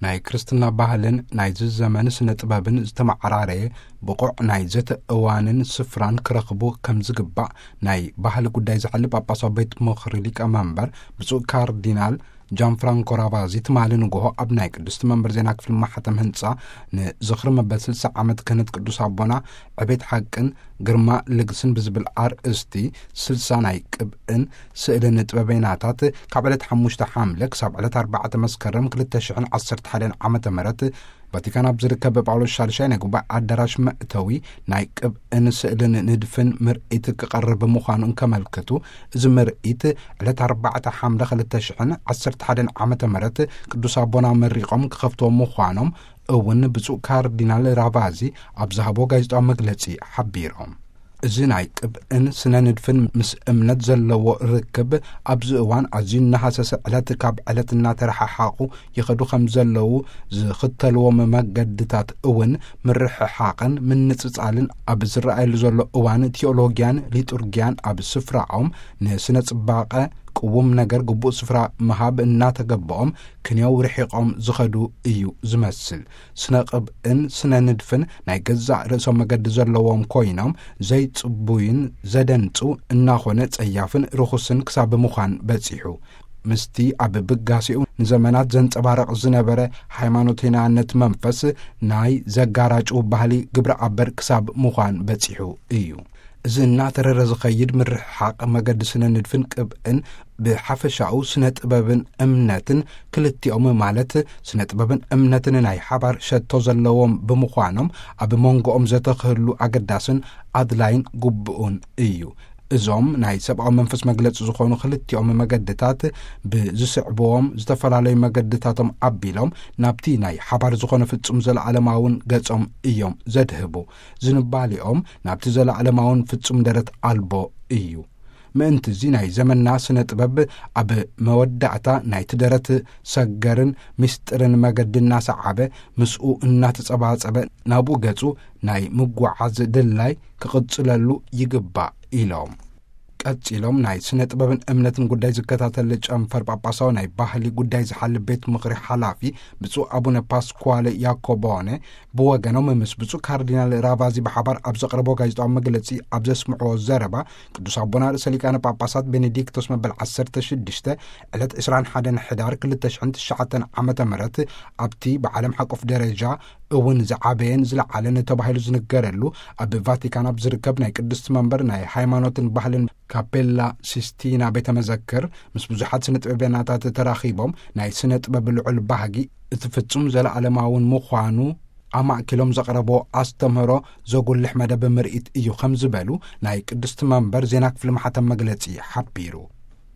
ናይ ክርስትና ባህልን ናይዚ ዘመን ስነ ጥበብን ዝተመዓራረየ ብቑዕ ናይ ዘተ እዋንን ስፍራን ክረኽቡ ከም ዝግባእ ናይ ባህሊ ጉዳይ ዝሓሊ ጳጳሳዊ ቤት ምኽሪ ሊቀ መንበር ብፁዕ ካርዲናል ጃን ፍራንኮ ራቫዚ ትማሊ ንግሆ ኣብ ናይ ቅድስቲ መንበር ዜና ክፍሊ ማሕተም ህንጻ ንዝኽሪ መበል ስልሳ ዓመት ክህነት ቅዱስ ኣቦና ዕቤት ሓቅን ግርማ ልግስን ብዝብል ኣርእስቲ ስልሳ ናይ ቅብእን ስእልን ጥበበይናታት ካብ ዕለት ሓሙሽተ ሓምለ ክሳብ ዕለት ኣርባዕተ መስከረም ክልተ ሽሕን ዓሰርተ ሓደን ዓመተ ምህረት ቫቲካን ኣብ ዝርከብ ጳውሎስ ሻልሻይ ናይ ጉባኤ ኣዳራሽ መእተዊ ናይ ቅብእን ስእልን ንድፍን ምርኢት ክቐርብ ምዃኑ እንከመልክቱ፣ እዚ ምርኢት ዕለት ኣርባዕተ ሓምለ ክልተ ሽሕን ዓሰርተ ሓደን ዓመተ ምህረት ቅዱስ ኣቦና መሪቖም ክኸፍትዎ ምዃኖም እውን ብፁዕ ካርዲናል ራቫዚ ኣብ ዝሃቦ ጋዜጣዊ መግለጺ ሓቢሮም። እዚ ናይ ቅብእን ስነ ንድፍን ምስ እምነት ዘለዎ ርክብ ኣብዚ እዋን ኣዝዩ እናሃሰሰ ዕለት ካብ ዕለት እናተረሓሓቑ ይኸዱ ከም ዘለዉ ዝኽተልዎም መገድታት እውን ምርሕሓቕን ምንጽጻልን ኣብ ዝረኣየሉ ዘሎ እዋን ቲዮሎጊያን ሊጡርጊያን ኣብ ስፍራኦም ንስነ ጽባቐ ቅዉም ነገር ግቡእ ስፍራ ምሃብ እናተገበኦም ክንየው ርሒቖም ዝኸዱ እዩ ዝመስል። ስነ ቅብእን ስነ ንድፍን ናይ ገዛእ ርእሶም መገዲ ዘለዎም ኮይኖም ዘይጽቡይን ዘደንጹ እናኾነ ጸያፍን ርኹስን ክሳብ ምዃን በጺሑ። ምስቲ ኣብ ብጋሴኡ ንዘመናት ዘንጸባረቕ ዝነበረ ሃይማኖተኛነት መንፈስ ናይ ዘጋራጩ ባህሊ ግብረ ኣበር ክሳብ ምዃን በጺሑ እዩ። እዚ እናተረረ ዝኸይድ ምርሕሓቕ መገዲ ስነ ንድፍን ቅብእን ብሓፈሻኡ ስነ ጥበብን እምነትን ክልቲኦም ማለት ስነ ጥበብን እምነትን ናይ ሓባር ሸቶ ዘለዎም ብምዃኖም ኣብ መንጎኦም ዘተኽህሉ ኣገዳስን ኣድላይን ግቡእን እዩ። እዞም ናይ ሰብኣዊ መንፈስ መግለጺ ዝኾኑ ክልቲኦም መገድታት ብዝስዕብዎም ዝተፈላለዩ መገድታቶም ኣቢሎም ናብቲ ናይ ሓባር ዝኾነ ፍጹም ዘለዓለማውን ገጾም እዮም ዘድህቡ። ዝንባሌኦም ናብቲ ዘለዓለማውን ፍጹም ደረት ኣልቦ እዩ። ምእንቲ እዚ ናይ ዘመንና ስነ ጥበብ ኣብ መወዳእታ ናይቲ ደረት ሰገርን ምስጢርን መገዲ እናሰዓበ ምስኡ እናተጸባጸበ ናብኡ ገጹ ናይ ምጓዓዝ ድላይ ክቕጽለሉ ይግባእ ኢሎም። ቀጺሎም ናይ ስነ ጥበብን እምነትን ጉዳይ ዝከታተል ጨንፈር ጳጳሳዊ ናይ ባህሊ ጉዳይ ዝሓሊ ቤት ምኽሪ ሓላፊ ብፁዕ ኣቡነ ፓስኳለ ያኮቦነ ብወገኖም ምስ ብፁዕ ካርዲናል ራቫዚ ብሓባር ኣብ ዘቕረቦ ጋዜጣዊ መግለጺ ኣብ ዘስምዕዎ ዘረባ ቅዱስ ኣቦና ርእሰ ሊቃነ ጳጳሳት ቤኔዲክቶስ መበል ዓሰርተ ሽዱሽተ ዕለት ዕስራን ሓደን ሕዳር ክልተ ሽሕን ትሽዓተን ዓመተ ምህረት ኣብቲ ብዓለም ሓቆፍ ደረጃ እውን ዝዓበየን ዝለዓለን ተባሂሉ ዝንገረሉ ኣብ ቫቲካን ኣብ ዝርከብ ናይ ቅድስቲ መንበር ናይ ሃይማኖትን ባህልን ካፔላ ሲስቲና ቤተ መዘክር ምስ ብዙሓት ስነ ጥበበኛታት ተራኺቦም ናይ ስነ ጥበብ ልዑል ባህጊ እቲ ፍጹም ዘለዓለማውን ምዃኑ ኣማእኪሎም ዘቕረቦ ኣስተምህሮ ዘጉልሕ መደብ ምርኢት እዩ ከም ዝበሉ ናይ ቅድስቲ መንበር ዜና ክፍሊ ማሕተም መግለጺ ሓቢሩ።